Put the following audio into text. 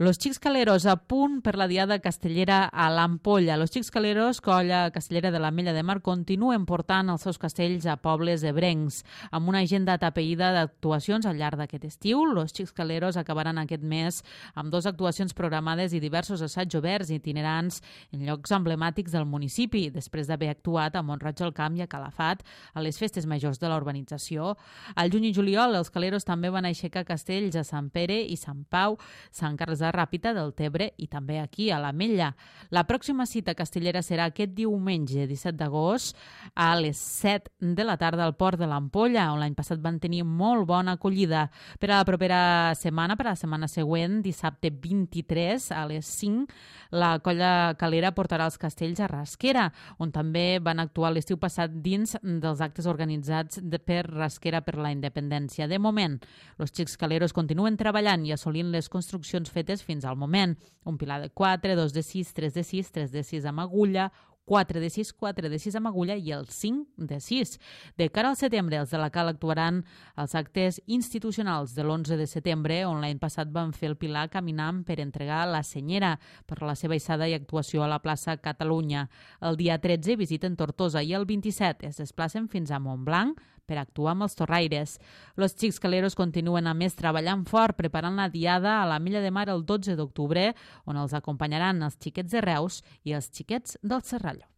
Los Xics Caleros a punt per la diada castellera a l'Ampolla. Los Xics Caleros, colla castellera de l'Ametlla de Mar, continuen portant els seus castells a pobles ebrencs. Amb una agenda atapeïda d'actuacions al llarg d'aquest estiu, los Xics Caleros acabaran aquest mes amb 2 actuacions programades i diversos assaigs oberts itinerants en llocs emblemàtics del municipi, després d'haver actuat a Mont-roig del Camp i a Calafat a les festes majors de la urbanització. Al juny i juliol, els Caleros també van aixecar castells a Sant Pere i Sant Pau, Sant Carles de Ràpita, del Tebre i també aquí, a l'Ametlla. La pròxima cita castellera serà aquest diumenge, 17 d'agost, a les 7 de la tarda al Port de l'Ampolla, on l'any passat van tenir molt bona acollida. Per a la propera setmana, per a la setmana següent, dissabte 23 a les 5, la colla calera portarà els castells a Rasquera, on també van actuar l'estiu passat dins dels actes organitzats per Rasquera per la Independència. De moment, els Xics Caleros continuen treballant i assolint les construccions fetes fins al moment. Un pilar de 4, 2 de 6, 3 de 6, 3 de 6 amb agulla, 4 de 6, 4 de 6 amb agulla i el 5 de 6. De cara al setembre, els de la Cal actuaran als actes institucionals de l'11 de setembre, on l'any passat van fer el pilar caminant per entregar la senyera per la seva eixada i actuació a la plaça Catalunya. El dia 13 visiten Tortosa i el 27 es desplacen fins a Montblanc per actuar amb els torraires. Los Xics Caleros continuen a més treballant fort, preparant la diada a l'Ametlla de Mar el 12 d'octubre, on els acompanyaran els xiquets de Reus i els xiquets del Serrallo.